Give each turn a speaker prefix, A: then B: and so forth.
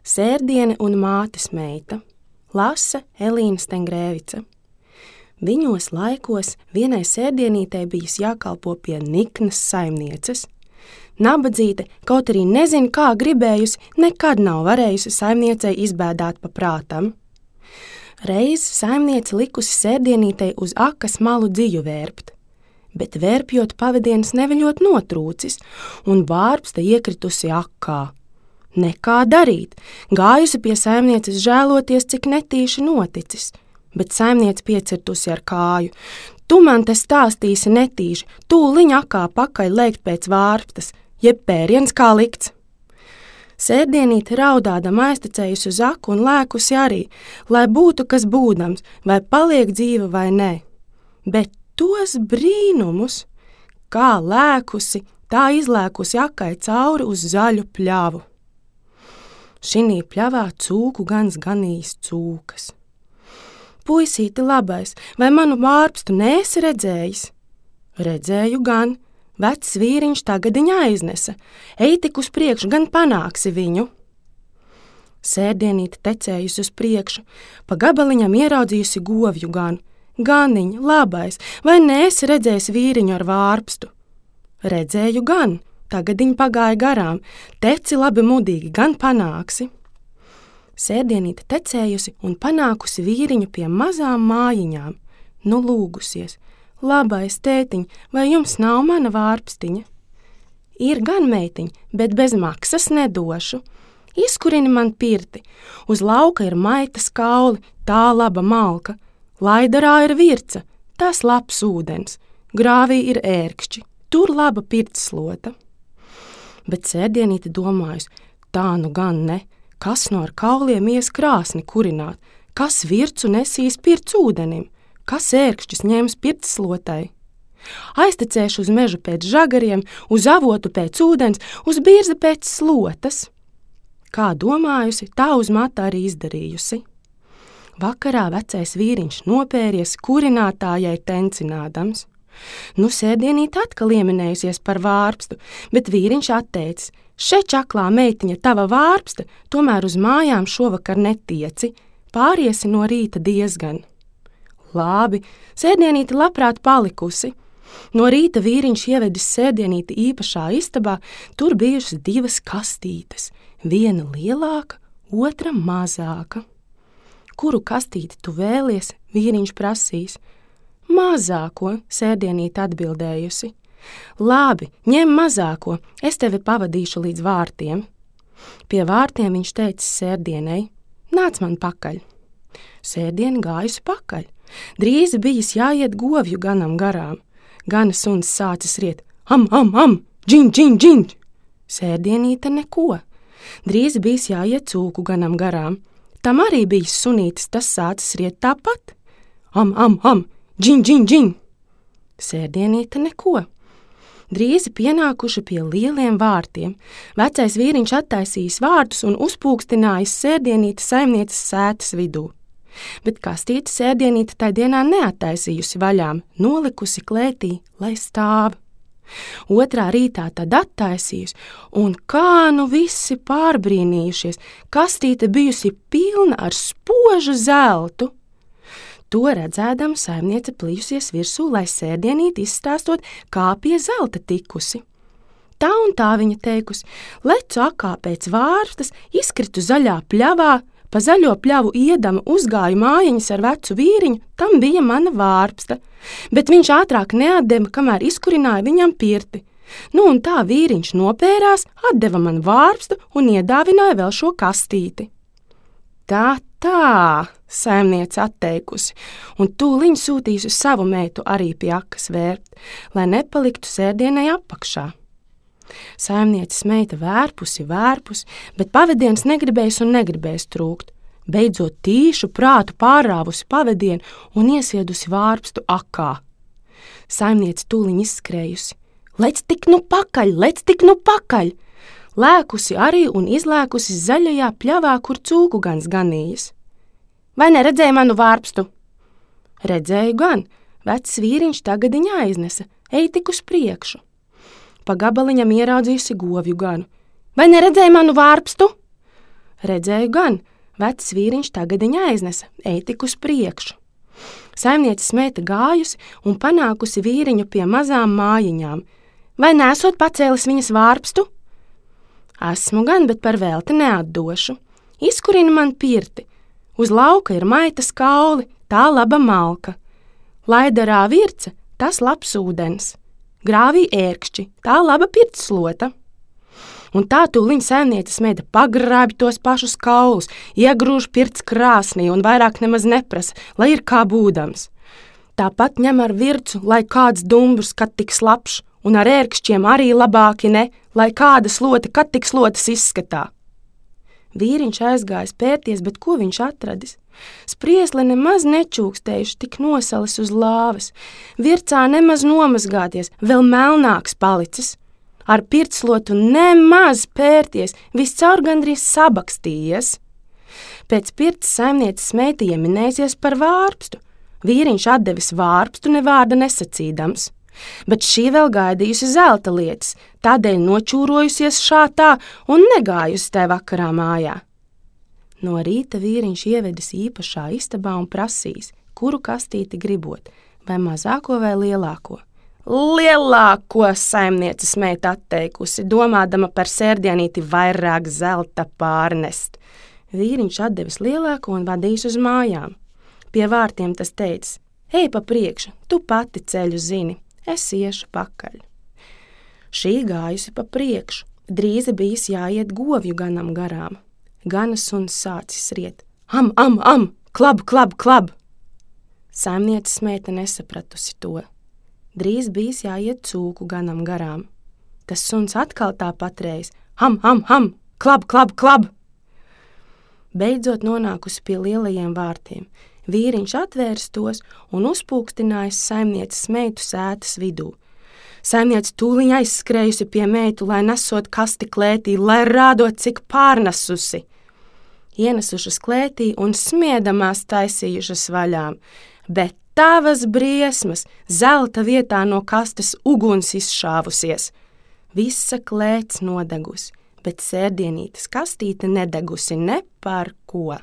A: Sērdiene un mātes meita. Lasa Elīna Stengrēvica. Viņos laikos vienai sērdienītei bijis jākalpo pie niknas saimnieces. Nabadzīte, kaut arī nezin, kā gribējusi, nekad nav varējusi saimniecei izbēdāt pa prātam. Reiz saimniece likusi sērdienītei uz akas malu dziju vērpt, bet vērpjot pavadienas neviļot notrūcis, un vārpsta iekritusi akā. Nekā darīt, gājusi pie saimnieces žēloties, cik netīši noticis, bet saimniece piecirtusi ar kāju. Tu man te stāstīsi netīši, tūliņ akā pakaļ lēkt pēc vārpstas, jeb pēriens kā likts. Sērdienīte raudādama aiztecējusi uz aku un lēkusi arī, lai būtu kas būdams, vai paliek dzīva vai nē. Bet tos brīnumus, kā lēkusi, tā izlēkusi akai cauri uz zaļu pļavu. Šinī pļavā cūku gans ganījis cūkas. Puisīti labais, vai manu vārpstu neesi redzējis? Redzēju gan. Vecs vīriņš tagadiņ aiznesa. Ej tik uz priekšu, gan panāksi viņu. Sērdienīte tecējusi uz priekšu, pa gabaliņam ieraudzījusi govju ganu. Ganiņ, labais, vai neesi redzējis vīriņu ar vārpstu? Redzēju gan, tagadiņ pagāja garām. Teci labi mudīgi, gan panāksi. Sērdienīte tecējusi un panākusi vīriņu pie mazām mājiņām. Nu lūgusies. Labais tētiņ, vai jums nav mana vārpstiņa? Ir gan meitiņ, bet bez maksas nedošu. Izkurini man pirti. Uz lauka ir maitas kauli, tā laba malka. Laidarā ir virca, tas labs ūdens. Grāvī ir ērkšķi, tur laba pirtslota. Bet sērdienīte domājusi, tā nu gan ne. Kas no ar kauliem ies krāsni kurināt? Kas vircu nesīs pirts ūdenim? Kas ērkšķis ņems pirtslotai? Aiztecēšu uz mežu pēc žagariem, uz avotu pēc ūdens, uz birzi pēc slotas. Kā domājusi, tā uz mata arī izdarījusi. Vakarā vecais vīriņš nopēries kurinātājai tencinādams. Nu sērdienīt atkal ieminējusies par vārpstu, bet vīriņš atteicis, še čaklā meitiņa tava vārpsta, tomēr uz mājām šovakar netieci, pāriesi no rīta diezgan. Labi, sērdienīte labprāt palikusi. No rīta vīriņš ievedis sērdienīti īpašā istabā, tur bijušas 2 kastītes, viena lielāka, otra mazāka. Kuru kastīti tu vēlies, vīriņš prasīs. Mazāko, sērdienīte atbildējusi. Labi, ņem mazāko, es tevi pavadīšu līdz vārtiem. Pie vārtiem viņš teicis sērdienei, nāc man pakaļ. Sērdiena gājusi pakaļ. Drīz bijis jāiet govju ganam garām. Gana suns sācis riet, am, džiņ, džiņ, džiņ. Sērdienīte neko. Drīz bijis jāiet cūku ganam garām. Tam arī bijis sunītis, tas sācis riet tāpat. Am, džiņ, džiņ, džiņ. Sērdienīte neko. Drīz pienākuši pie lieliem vārtiem. Vecais vīriņš attaisījis vārtus un uzpūkstinājis sērdienīti saimnieces sētas vidū. Bet kastīti sērdienīte tai dienā neattaisījusi vaļām, nolikusi klētī, lai stāv. Otrā rītā tad attaisījusi, un kā nu visi pārbrīnījušies, kastīte bijusi pilna ar spožu zeltu. To redzēdam saimniece plījusies virsū, lai sērdienīti izstāstot, kā pie zelta tikusi. Tā un tā viņa teikusi, lecu akā pēc vārpstas, izkritu zaļā pļavā, pa zaļo pļavu iedama uzgāju mājiņas ar vecu vīriņu, tam bija mana vārpsta, bet viņš ātrāk neatdeva, kamēr izkurināja viņam pirti. Nu un tā vīriņš nopērās, atdeva man vārpstu un iedāvināja vēl šo kastīti. Tā, saimniece atteikusi, un tūliņ sūtījusi savu meitu arī pie akas vērpt, lai nepaliktu sērdienai apakšā. Saimnieces meita vērpusi, bet pavadienas negribējis trūkt. Beidzot tīšu prātu pārrāvusi pavadienu un iesviedusi vārpstu akā. Saimniece tūliņ izskrējusi. Lec tik nu pakaļ! Lēkusi arī un izlēkusi zaļajā pļavā, kur cūku gans ganījis. Vai neredzēji manu vārpstu? Redzēju gan, vecs vīriņš tagadiņ aiznesa, ej tik uz priekšu. Pa gabaliņam ieraudzījusi govju ganu. Vai neredzēji manu vārpstu? Redzēju gan, vecs vīriņš tagad viņa aiznesa, ej tik uz priekšu. Saimnieces meita gājusi un panākusi vīriņu pie mazām mājiņām. Vai nesot pacēlis viņas vārpstu? Esmu gan, bet par velti neatdošu. Izkurina man pirti. Uz lauka ir maitas kauli, tā laba malka. Laidarā virce, tas labs ūdens. Grāvī ērkšķi, tā laba pirtslota. Un tā tūliņ saimnieces meita pagrābi tos pašus kaulus, iegrūž pirts krāsnī un vairāk nemaz neprasa, lai ir kā būdams. Tāpat ņem ar vircu, lai kāds dumburs, kad tiks labs, un ar ērkšķiem arī labāki ne, lai kāda slota, kad tiks slotas izskatā. Vīriņš aizgājis pērties, bet ko viņš atradis? Spriesle nemaz nečūkstējuši, tik nosalis uz lāvas, vircā nemaz nomazgāties, vēl melnāks palicis. Ar pirtslotu nemaz pērties, viscaur gandrīz sabakstījies. Pēc pirts saimnieces meita ieminēsies par vārpstu. Vīriņš atdevis vārpstu ne vārda nesacīdams. Bet šī vēl gaidījusi zelta lietas, tādēļ nočūrojusies šātā un negājusi tai vakarā mājā. No rīta vīriņš ievedis īpašā istabā un prasīs, kuru kastīti gribot, vai mazāko vai lielāko. Lielāko saimnieces meita atteikusi, domādama par sērdienīti vairāk zelta pārnest. Vīriņš atdevis lielāko un vadījis uz mājām. Pie vārtiem tas teicis, ej pa priekšu, tu pati ceļu zini, es iešu pakaļ. Šī gājusi pa priekšu, drīzi bijis jāiet govju ganam garām. Gana suns sācis riet, am, klab, klab, klab. Saimnieces meita nesapratusi to. Drīz bijis jāiet cūku ganam garām. Tas suns atkal tā patreiz, ham, klab, klab, klab. Beidzot nonākusi pie lielajiem vārtiem, vīriņš atvērs tos un uzpūkstinājis saimnieces meitu sētas vidū. Saimniece tūliņ aizskrējusi pie meitu, lai nesot kasti klētī, lai rādot, cik pārnesusi. Ienesušas klētī un smiedamās taisījušas vaļām, bet tavas briesmas, zelta vietā no kastes uguns izšāvusies. Visa klēts nodegusi, bet sērdienītes kastīte nedegusi ne par ko.